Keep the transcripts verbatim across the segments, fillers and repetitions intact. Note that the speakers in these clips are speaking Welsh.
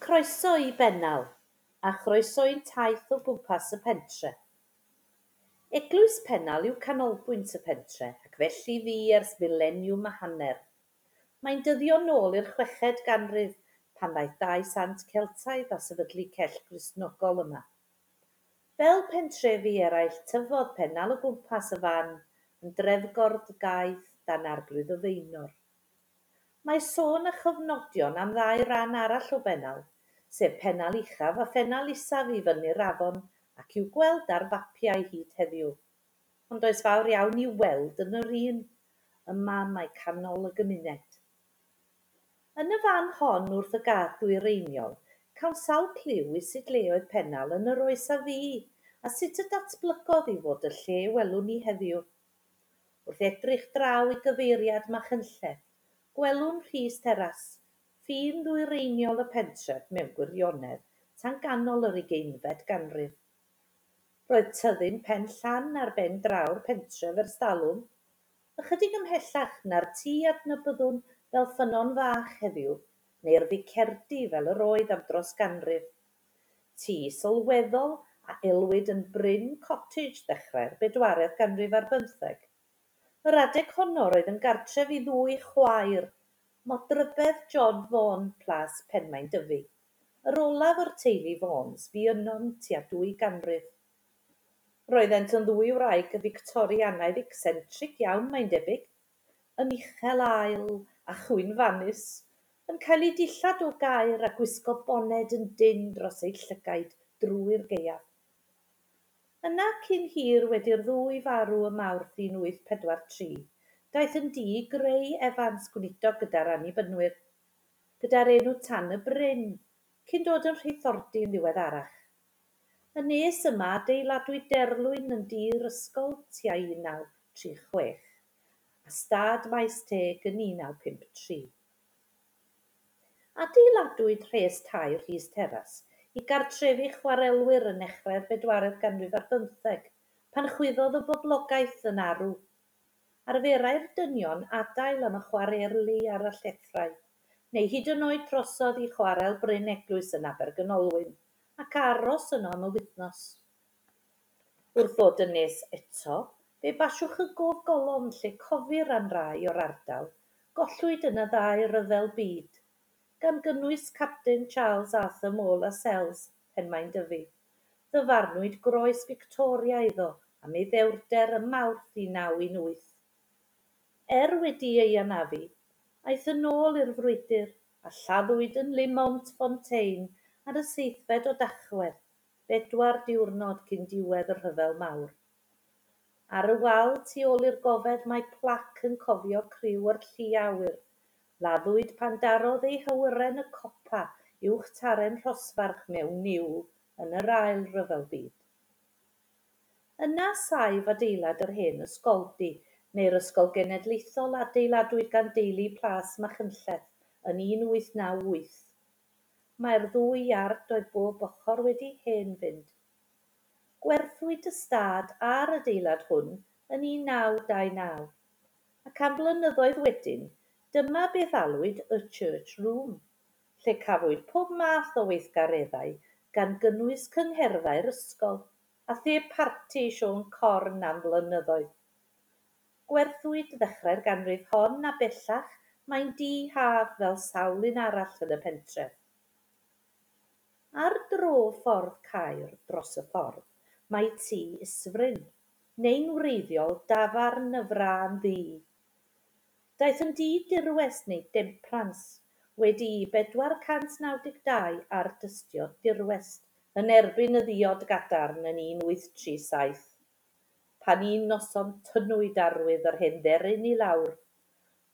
Croeso i Bennal, a chroeso i'n taith o gwmpas y pentre. Eglwys Pennal yw canolbwynt y pentre, ac felly fu ers mileniwm a hanner. Mae'n dyddio nôl i'r chweched ganrif, pan ddaeth dau sant Celtaidd a sefydlu cell Gristnogol yma. Fel pentrefi eraill, tyfodd Pennal o gwmpas y fan yn drefgordd gaeth dan arglwydd y Faenor. Mae sôn a chofnodion am ddau ran arall o Bennal, sef Pennal Uchaf a Phennal Isaf i fyny'r afon ac i'w gweld ar fapiau hyd heddiw. Ond does fawr iawn i'w weld yn yr un. Yma mae canol y gymuned. Yn y fan hon wrth y gad ddwyreiniol, cawn sawl cliw i sut le oedd Pennal yn yr oes a fu, a sut y datblygodd i fod y lle welwn ni heddiw. Wrth edrych draw i gyfeiriad Machynlleth, gwelwn Rhys Teras, ffin ddwyreiniol y pentref mewn gwirionedd tan ganol yr ugeinfed ganrif. Roedd tyddyn Pen Llan ar ben draw'r pentref ers talwm, ychydig ymhellach na'r tŷ adnabyddwn fel Ffynnon Fach heddiw, neu'r Ficerdy fel yr oedd am dros ganrif. Tŷ sylweddol a elwid yn Bryn Cottage ddechrau'r bedwaredd ganrif ar bymtheg. Yr adeg honno roedd yn gartref i ddwy chwaer, modrybedd John Vaughan Plas Penmaen Dyfi, yr olaf o'r teulu Vaughans fu yno'n tua dwy ganrif. Roeddent yn ddwy wraig Fictorianaidd ecsentric iawn, mae'n debyg, yn uchel ael a chwynfannus, yn cael eu dillad o gaer a gwisgo boned yn dynn dros eu llygaid drwy'r gaeaf. Yna cyn hir wedi'r ddwy farw ym Mawrth un wyth pedwar tri, daeth yn dŷ Grey Evans gweinidog gyda'r Annibynwyr, gyda'r enw Tan y Bryn, cyn dod yn rheithordy yn ddiweddarach. Yn nes yma adeiladwyd derlwyn yn dŷ'r ysgol tua un naw tri chwech, a stad Maes Teg yn un naw pump tri. Adeiladwyd rhes tai Rhys Teras i gartrefu chwarelwyr yn nechrau'r bedwaredd ganrif ar bymtheg, pan chwyddodd y boblogaeth yn arw. Arferai'r dynion adael am y chwareli ar y llethrau, neu hyd yn oed trosodd i chwarel Bryn Eglwys yn Abergynolwyn, ac aros yno am y wythnos. Wrth ddod yn nes eto, fe basiwch y gof golofn lle cofir am rai o'r ardal, gollwyd yn y ddau ryfel byd, gan gynnwys Capten Charles Arthur Moore Lascelles, Penmaen Dyfi. Ddyfarnwyd Groes Victoria iddo am ei ddewrder ym Mawrth un naw un wyth. Er wedi ei anafu, aeth yn ôl i'r frwydr a lladdwyd yn Le Mont Fontaine ar y seithfed o Dachwedd, bedwar diwrnod cyn diwedd y rhyfel mawr. Ar y wal tu ôl i'r gofeb mae plac yn cofio criw o'r llu awyr, laddwyd pan darodd ei hawyren y copa uwch taren rhosfarch mewn niwl yn yr ail ryfel byd. Yna saif adeilad yr hen ysgoldy, neu'r ysgol genedlaethol adeiladwyd gan deulu Plas Machynlleth yn un wyth naw wyth. Mae'r ddwy iard oedd bob ochr wedi hen fynd. Gwerthwyd y stad a'r adeilad hwn yn un naw dau naw, ac am blynyddoedd wedyn, dyma beth alwyd y Church Room, lle cafwyd pob math o weithgareddau gan gynnwys cyngherddau'r ysgol a the parti Siôn Corn am flynyddoedd. Gwerthwyd ddechrau'r ganrif hon a bellach mae'n dŷ haf fel sawl un arall yn y pentref. Ar dro ffordd Caer dros y ffordd mae tŷ Isfryn, neu'n wreiddiol dafarn y Frân Ddu. Daeth yn dŷ dirwest neu demprans wedi i bedwar cant naw deg dau ardystio dirwest yn erbyn y ddiod gadarn yn un wyth tri saith. Pan un noson tynnwyd arwydd yr hen dderyn i lawr.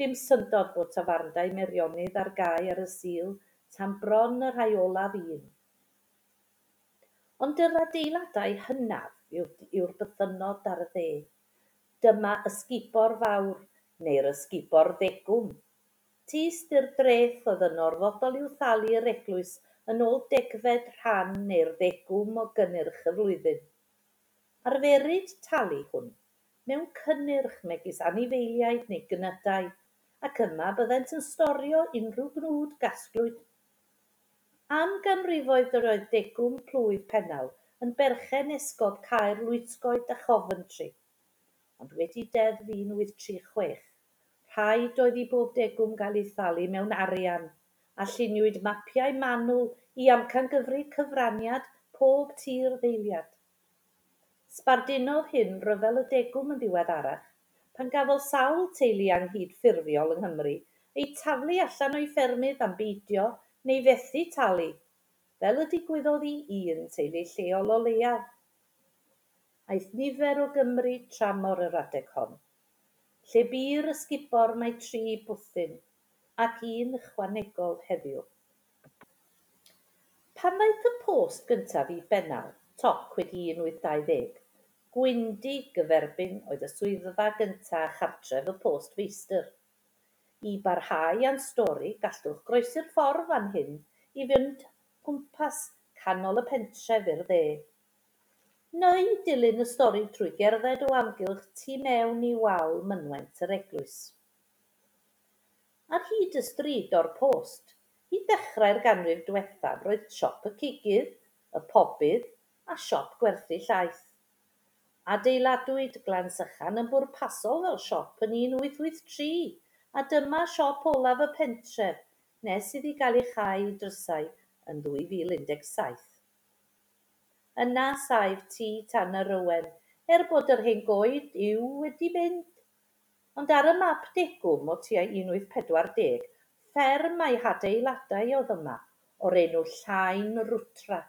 Dim syndod bod tafarndai Meirionnydd ar gau ar y Sul tan bron y rhai olaf un. Ond yr adeiladau hynaf yw'r bythynnod ar y dde. Dyma ysgubor fawr, neu'r ysgubor ddegwm. Tyst i'r dreth oedd yn orfodol i'w thalu i'r eglwys yn ôl degfed rhan neu'r ddegwm o gynnyrch y flwyddyn. Arferid talu hwn mewn cynnyrch megis anifeiliaid neu gnydau, ac yma byddent yn storio unrhyw gnwd gasglwyd. Am ganrifoedd yr oedd degwm plwyf Pennal yn berchen esgob Caer Lwytgoed a Choventry. Ond wedi deddf un wyth tri chwech, rhaid oedd i bob degwm gael ei thalu mewn arian, a lluniwyd mapiau manwl i amcangyfri cyfraniad pob tir ddeiliad. Sbardunodd hyn ryfel y degwm yn ddiweddarach, pan gafodd sawl teulu anghydffurfiol yng Nghymru eu taflu allan o'u ffermydd am beidio neu fethu talu, fel y digwyddodd i un teulu lleol o leiaf. Aeth nifer o Gymry tramor yr adeg hon. Lle bu'r ysgubor mae tri bwthyn, ac un ychwanegol heddiw. Pan ddaeth y post gyntaf i Bennal, toc wedi un wyth dau ddeg, Gwyndy gyferbyn oedd y swyddfa gyntaf a chartref y post feistr. I barhau â'n stori, gallwch groesi'r ffordd fan hyn i fynd gwmpas canol y pentref i'r dde. Neu dilyn y stori trwy gerdded o amgylch tu mewn i wal mynwent yr eglwys. Ar hyd y stryd o'r post, hyd ddechrau'r ganrif diwethaf roedd siop y cigydd, y pobydd a siop gwerthu llaeth. Adeiladwyd Glansychan yn bwrpasol fel siop yn un wyth wyth tri, a dyma siop olaf y pentref nes iddi gael ei chau drysau yn ddwy fil un deg saith. Yna saif tŷ Tan yr Ywen, er bod yr hen goed yw wedi mynd. Ond ar y map degwm o tua un wyth pedwar deg, fferm a'i hadeiladau oedd yma, o'r enw Llain Rwtra.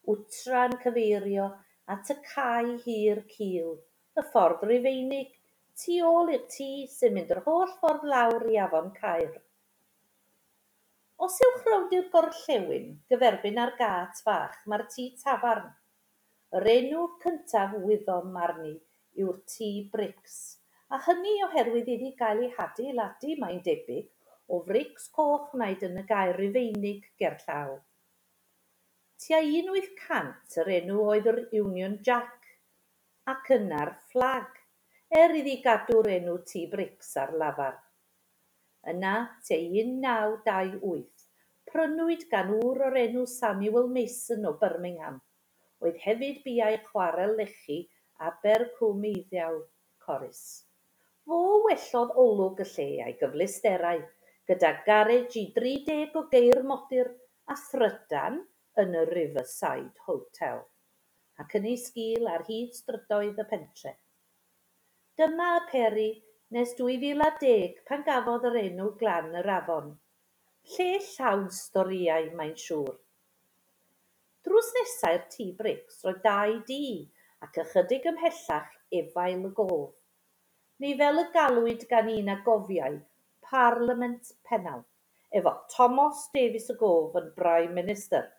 Wtra'n cyfeirio at y cae hir cul, y ffordd Rufeinig, tu ôl i'r tŷ sy'n mynd yr holl ffordd lawr i Afon Caer. Os ewch rownd i'r gorllewin, gyferbyn â'r gât fach, mae'r tŷ tafarn. Yr enw cyntaf wyddom arni yw'r tŷ brics, a hynny oherwydd iddi gael ei hadeiladu, mae'n debyg, o frics coch wnaed yn y gaer Rufeinig gerllaw. Tua un wyth cant yr enw oedd yr Union Jack, ac yna'r Fflag, er iddi gadw'r enw tŷ brics ar lafar. Yna, tua un naw dau wyth, prynwyd gan ŵr o'r enw Samuel Mason o Birmingham, oedd hefyd biau chwarel lechi Abercwmeiddiau Corris. Fo wellodd olwg y lle a'i gyfleusterau, gyda garej i dri deg o geir modur a thrydan yn y Riverside Hotel, ac yn ei sgil ar hyd strydoedd y pentre. Dyma y peri nes dwy fil a deg pan gafodd yr enw Glan yr Afon. Lle llawn storïau, mae'n siŵr. Drws nesau'r tŷ brics roedd dau dŷ ac ychydig ymhellach efail y gof, neu fel y galwyd gan un a gofiai, Parliament Pennal, efo Thomas Davies y Gof yn Prime Minister,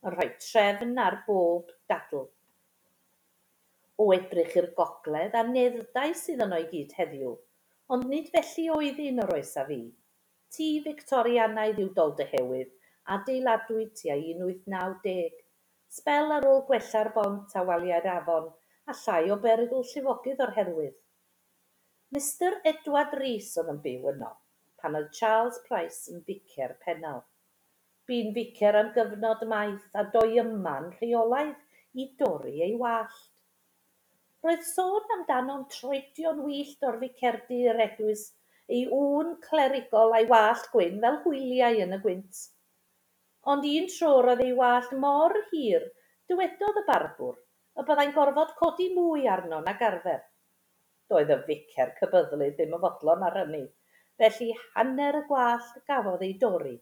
yn rhoi trefn ar bob dadl. O edrych i'r gogledd a neddfdau sydd yno i gyd heddiw, ond nid felly oedd un o'r oes a fu. Tŷ Victorianaidd yw Doldehewydd, adeiladwyd tua un wyth naw deg, sbel ar ôl gwella'r bont a waliau'r afon, a llai o berygl llifogydd o'r herwydd. Mister Edward Rees oedd yn byw yno, pan oedd Charles Price yn ficer Pennal. Bu'n ficer am gyfnod maith a doi yma'n rheolaidd i dorri ei wallt. Roedd sôn amdano'n troedio'n wyllt o'r ficerdy i'r eglwys, ei ŵn clerigol a'i wallt gwyn fel hwyliau yn y gwynt. Ond un tro roedd ei wallt mor hir, dywedodd y barbwr, y byddai'n gorfod codi mwy arno nag arfer. Doedd y ficer cybyddlyd ddim yn fodlon ar hynny, felly hanner y gwallt gafodd ei dorri.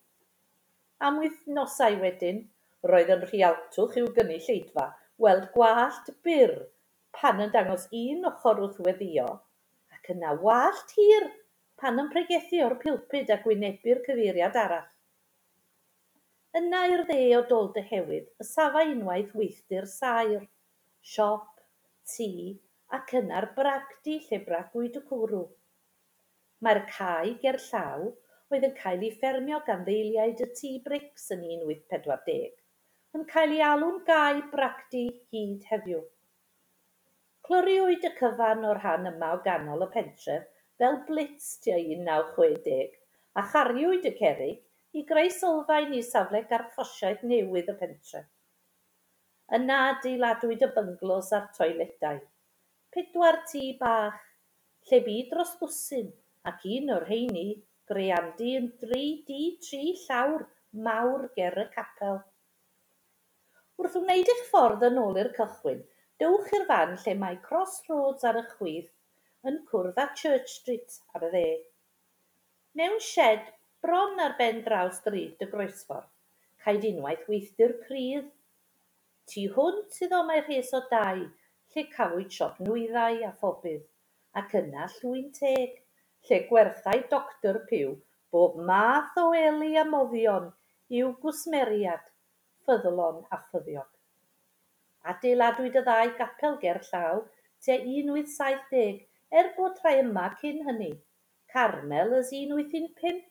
Am wythnosau wedyn, roedd yn rhialtwch i'w gynulleidfa weld gwallt byr pan yn dangos un ochr wrth weddïo, ac yna wallt hir pan yn pregethu o'r pulpud a gwynebu'r cyfeiriad arall. Yna i'r dde o Doldehewydd y safai unwaith weithdy'r saer, siop, tŷ ac yna'r bragdy lle bragwyd y cwrw. Mae'r cae gerllaw oedd yn cael ei ffermio gan ddeiliaid y tŷ brics yn un wyth pedwar deg, yn cael ei alw'n gae bragdy hyd heddiw. Cliriwyd y cyfan o'r rhan yma o ganol y pentref fel blitz tua un naw chwe deg, a chariwyd y cerrig i greu sylfaen i safle garthffosiaeth newydd y pentref. Yna adeiladwyd y bynglos a'r toiledau, pedwar tŷ bach, lle bu dros ddwsin, ac un o'r rheini, greandy yn dri dŷ tri llawr mawr ger y capel. Wrth wneud eich ffordd yn ôl i'r cychwyn, dowch i'r fan lle mae Crossroads ar y chwith yn cwrdd â Church Street ar y dde. Mewn sied bron ar ben draw stryd y groesffordd, caed unwaith weithdy'r pridd. Tu hwnt iddo mae rhes o dai lle cafwyd siop nwyddau a phobydd, ac yna llwyn teg, lle gwerthai Doctor Pugh bob math o eli a moddion i'w gwsmeriad, ffyddlon a ffyddiog. Adeiladwyd y ddau gapel ger llaw tua un wyth saith deg, er bod rhai yma cyn hynny, Carmel ers un wyth un pump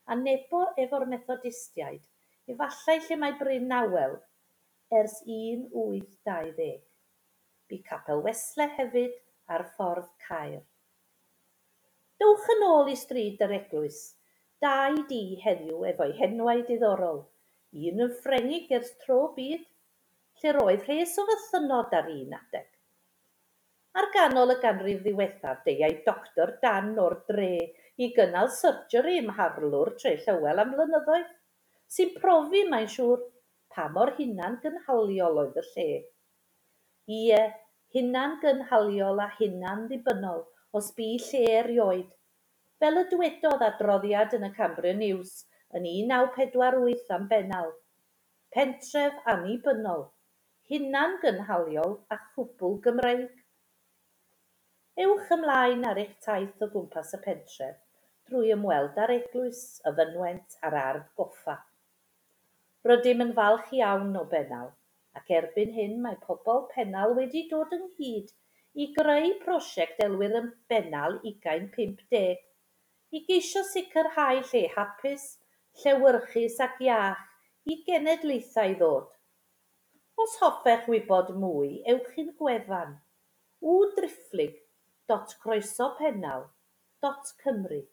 a Nebo efo'r Methodistiaid, efallai lle mae Bryn Awel, ers un wyth dau ddeg. Bu Capel Wesle hefyd ar ffordd Caer. Dowch yn ôl i stryd yr eglwys, dau dŷ heddiw efo'u henwau diddorol, un yn Ffrengig ers tro byd, lle roedd rhes o fythynnod ar un adeg. Ar ganol y ganrif ddiwethaf, deuai Doctor Dan o'r dre i gynnal surgery ym mharlwr Tre Llywel am flynyddoedd, sy'n profi, mae'n siŵr, pa mor hunan-gynhaliol oedd y lle. Ie, hunan-gynhaliol a hunan-ddibynnol os bu lle erioed, fel y dywedodd adroddiad yn y Cambrian News yn un naw pedwar wyth am Bennal. Pentref annibynnol, hunan-gynhaliol a chwbl Gymreig. Ewch ymlaen ar eich taith o gwmpas y pentref drwy ymweld â'r eglwys, y fynwent a'r ardd goffa. Rydym yn falch iawn o Bennal, ac erbyn hyn mae pobl Pennal wedi dod ynghyd i greu prosiect elwir yn Bennal ugain pump deg, i geisio sicrhau lle hapus, llewyrchus ac iach i genedlaethau ddod. Os hoffech wybod mwy, ewch i'n gwefan w driphlyg dot croeso pennal dot cymru.